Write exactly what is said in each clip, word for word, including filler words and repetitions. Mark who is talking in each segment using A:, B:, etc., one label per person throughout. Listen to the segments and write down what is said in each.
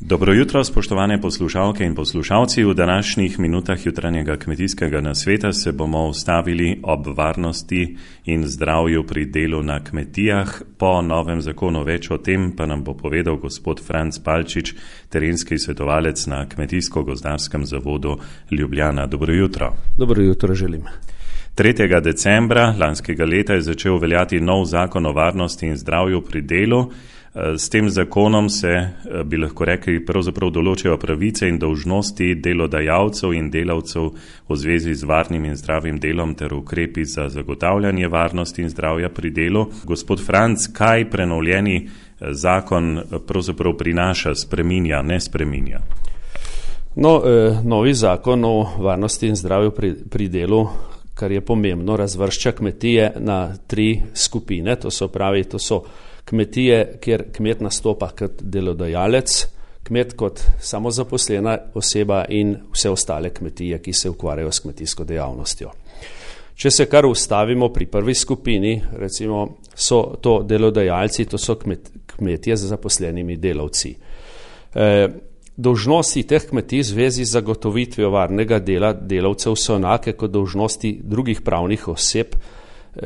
A: Dobro jutro, spoštovane poslušalke in poslušalci. V današnjih minutah jutranjega kmetijskega nasveta se bomo ustavili ob varnosti in zdravju pri delu na kmetijah. Po novem zakonu več o tem pa nam bo povedal gospod Franc Palčič, terenski svetovalec na Kmetijsko-gozdarskem zavodu Ljubljana. Dobro jutro.
B: Dobro jutro želim.
A: tretjega decembra lanskega leta je začel veljati nov zakon o varnosti in zdravju pri delu. S tem zakonom se, bi lahko rekli, pravzaprav določajo pravice in dolžnosti delodajalcev in delavcev v zvezi z varnim in zdravim delom ter ukrepi za zagotavljanje varnosti in zdravja pri delu. Gospod Franc, kaj prenovljeni zakon pravzaprav prinaša, spreminja, ne spreminja?
B: No, eh, novi zakon o varnosti in zdravju pri, pri delu, kar je pomembno, razvršča kmetije na tri skupine, to so pravi, to so kmetije, kjer kmet nastopa kot delodajalec, kmet kot samozaposlena oseba in vse ostale kmetije, ki se ukvarjajo s kmetijsko dejavnostjo. Če se kar ustavimo pri prvi skupini, recimo so to delodajalci, to so kmet, kmetije z zaposlenimi delavci. E, dolžnosti teh kmetij v zvezi z zagotovitvijo varnega dela delavcev so enake kot dolžnosti drugih pravnih oseb,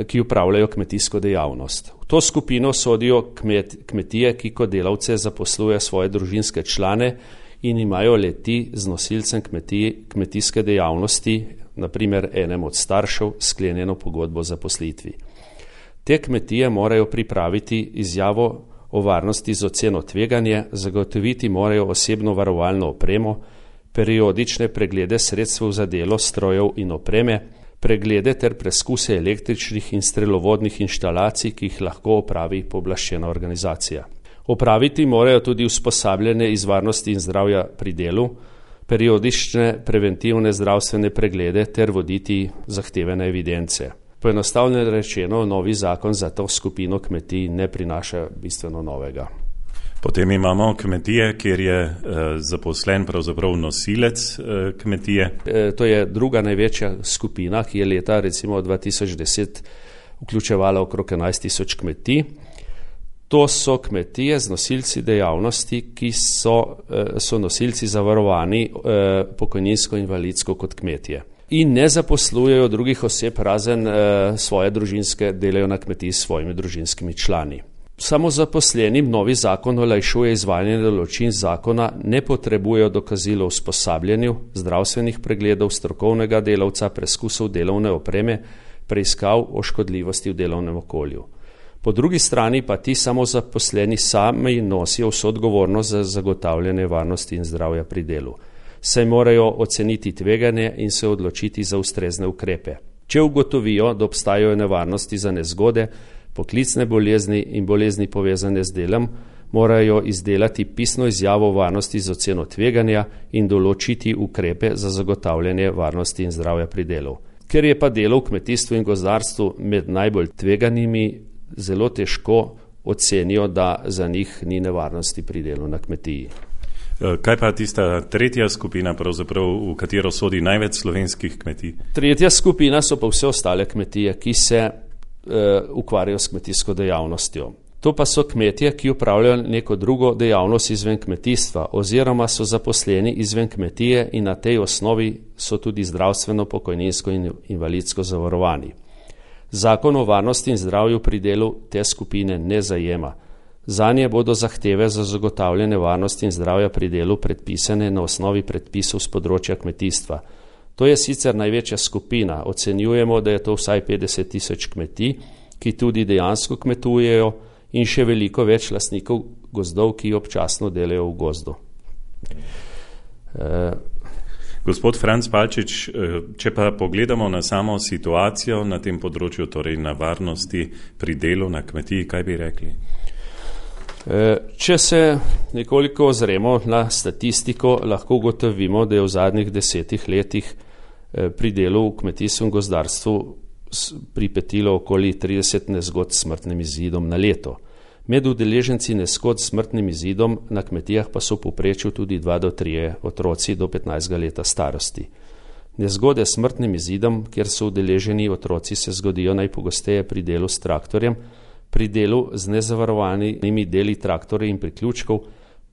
B: ki upravljajo kmetijsko dejavnost. V to skupino sodijo kmet, kmetije, ki kot delavce zaposlujejo svoje družinske člane in imajo leti z nosilcem kmetij, kmetijske dejavnosti, naprimer enem od staršev, sklenjeno pogodbo o zaposlitvi. Te kmetije morajo pripraviti izjavo o varnosti z oceno tveganje, zagotoviti morajo osebno varovalno opremo, periodične preglede sredstev za delo, strojev in opreme, preglede ter preskuse električnih in strelovodnih inštalacij, ki jih lahko opravi pooblaščena organizacija. Opraviti morajo tudi usposabljanje iz varnosti in zdravja pri delu, periodične preventivne zdravstvene preglede ter voditi zahtevane evidence. Poenostavljeno rečeno, novi zakon za to skupino kmetij ne prinaša bistveno novega.
A: Potem imamo kmetije, kjer je eh, zaposlen pravzaprav nosilec eh, kmetije.
B: E, to je druga največja skupina, ki je leta recimo dva tisoč deset vključevala okrog enajst tisoč kmetij. To so kmetije z nosilci dejavnosti, ki so, eh, so nosilci zavarovani eh, pokojninsko in invalidsko kot kmetije. In ne zaposlujejo drugih oseb razen eh, svoje družinske, delajo na kmetiji s svojimi družinskimi člani. Samozaposlenim novi zakon olajšuje izvajanje določil zakona, ne potrebujejo dokazilo o usposabljanju, zdravstvenih pregledov, strokovnega delavca, preskusov delovne opreme, preiskav o škodljivosti v delovnem okolju. Po drugi strani pa ti samozaposleni sami nosijo vso odgovornost za zagotavljanje varnosti in zdravja pri delu. Saj morajo oceniti tveganje in se odločiti za ustrezne ukrepe. Če ugotovijo, da obstajajo nevarnosti za nezgode, poklicne bolezni in bolezni povezane z delom, morajo izdelati pisno izjavo o varnosti z oceno tveganja in določiti ukrepe za zagotavljanje varnosti in zdravja pri delu. Ker je pa delo v kmetijstvu in gozdarstvu med najbolj tveganimi, zelo težko ocenijo, da za njih ni nevarnosti pri delu na kmetiji.
A: Kaj pa tista tretja skupina, pravzaprav, v katero sodi največ slovenskih kmetij?
B: Tretja skupina so pa vse ostale kmetije, ki se ukvarjajo s kmetijsko dejavnostjo. To pa so kmetije, ki upravljajo neko drugo dejavnost izven kmetijstva oziroma so zaposleni izven kmetije in na tej osnovi so tudi zdravstveno, pokojninsko in invalidsko zavarovani. Zakon o varnosti in zdravju pri delu te skupine ne zajema. Zanje bodo zahteve za zagotavljanje varnosti in zdravja pri delu predpisane na osnovi predpisov z področja kmetijstva. To je sicer največja skupina, ocenjujemo, da je to vsaj petdeset tisoč kmetij, ki tudi dejansko kmetujejo in še veliko več lastnikov gozdov, ki občasno delajo v gozdu. E...
A: Gospod Franc Palčič, če pa pogledamo na samo situacijo na tem področju, torej na varnosti pri delu na kmetiji, kaj bi rekli?
B: Če se nekoliko ozremo na statistiko, lahko ugotovimo, da je v zadnjih desetih letih pri delu v kmetijstvu in gozdarstvu pripetilo okoli trideset nezgod s smrtnim izidom na leto. Med udeleženci nezgod s smrtnim izidom na kmetijah pa so v povprečju tudi dva do trije otroci do petnajstega leta starosti. Nezgode s smrtnim izidom, kjer so udeleženi otroci, se zgodijo najpogosteje pri delu s traktorjem, pri delu z nezavarovanimi deli traktorjev in priključkov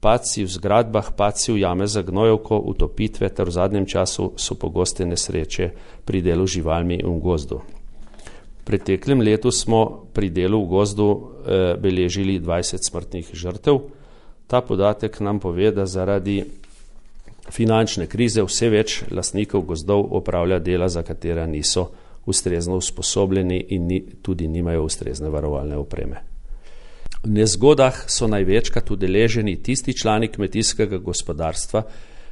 B: padci v zgradbah, padci v jame za gnojevko, utopitve ter v zadnjem času so pogoste nesreče pri delu z živalmi in v gozdu. V preteklem letu smo pri delu v gozdu eh, beležili dvajset smrtnih žrtev. Ta podatek nam pove, da zaradi finančne krize vse več lastnikov gozdov opravlja dela, za katera niso ustrezno usposobljeni in ni, tudi nimajo ustrezne varovalne opreme. V nezgodah so največkrat udeleženi tisti člani kmetijskega gospodarstva,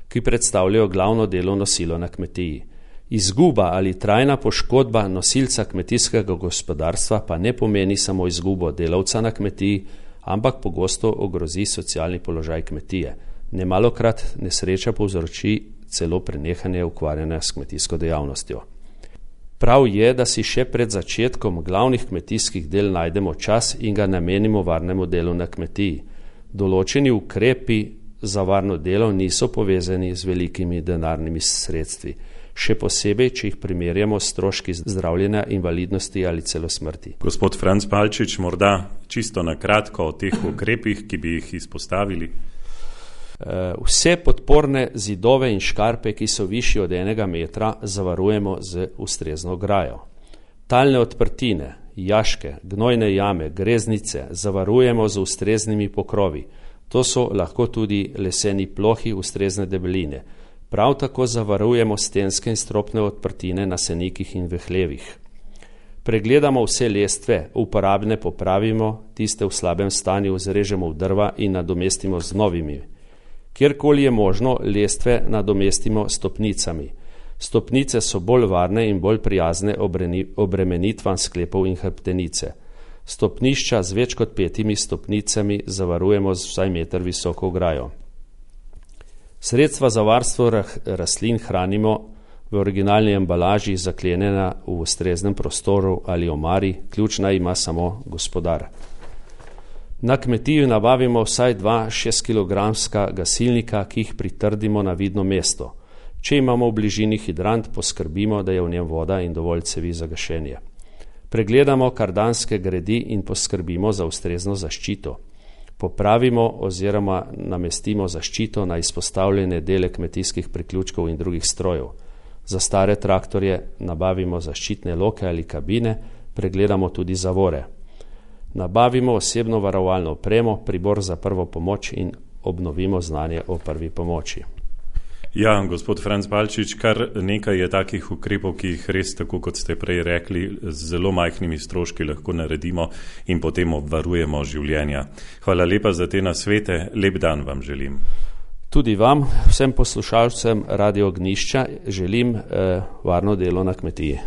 B: ki predstavljajo glavno delovno silo na kmetiji. Izguba ali trajna poškodba nosilca kmetijskega gospodarstva pa ne pomeni samo izgubo delavca na kmetiji, ampak pogosto ogrozi socialni položaj kmetije. Nemalokrat nesreča povzroči celo prenehanje ukvarjanja s kmetijsko dejavnostjo. Prav je, da si še pred začetkom glavnih kmetijskih del najdemo čas in ga namenimo varnemu delu na kmetiji. Določeni ukrepi za varno delo niso povezani z velikimi denarnimi sredstvi, še posebej, če jih primerjamo s stroški zdravljenja, invalidnosti ali celo smrti.
A: Gospod Franc Palčič, morda čisto na kratko o teh ukrepih, ki bi jih izpostavili.
B: Vse podporne zidove in škarpe, ki so višji od enega metra, zavarujemo z ustrezno ograjo. Talne odprtine, jaške, gnojne jame, greznice zavarujemo z ustreznimi pokrovi. To so lahko tudi leseni plohi ustrezne debeline. Prav tako zavarujemo stenske in stropne odprtine na senikih in v hlevih. Pregledamo vse lestve, uporabne popravimo, tiste v slabem stanju zrežemo v drva in nadomestimo z novimi. Kjerkoli je možno, lestve nadomestimo stopnicami. Stopnice so bolj varne in bolj prijazne obremenitvam sklepov in hrbtenice. Stopnišča z več kot petimi stopnicami zavarujemo z vsaj meter visoko ograjo. Sredstva za varstvo rastlin hranimo v originalni embalaži, zaklenjena v ustreznem prostoru ali omari, ključna ima samo gospodar. Na kmetiji nabavimo vsaj dva šestkilogramska gasilnika, ki jih pritrdimo na vidno mesto. Če imamo v bližini hidrant, poskrbimo, da je v njem voda in dovolj cevi za gašenje. Pregledamo kardanske gredi in poskrbimo za ustrezno zaščito. Popravimo oziroma namestimo zaščito na izpostavljene dele kmetijskih priključkov in drugih strojev. Za stare traktorje nabavimo zaščitne loke ali kabine, pregledamo tudi zavore. Nabavimo osebno varovalno opremo, pribor za prvo pomoč in obnovimo znanje o prvi pomoči.
A: Ja, gospod Franc Palčič, kar nekaj je takih ukrepov, ki jih res, tako kot ste prej rekli, z zelo majhnimi stroški lahko naredimo in potem obvarujemo življenja. Hvala lepa za te nasvete, lep dan vam želim.
B: Tudi vam, vsem poslušalcem Radio Ognjišča, želim eh, varno delo na kmetiji.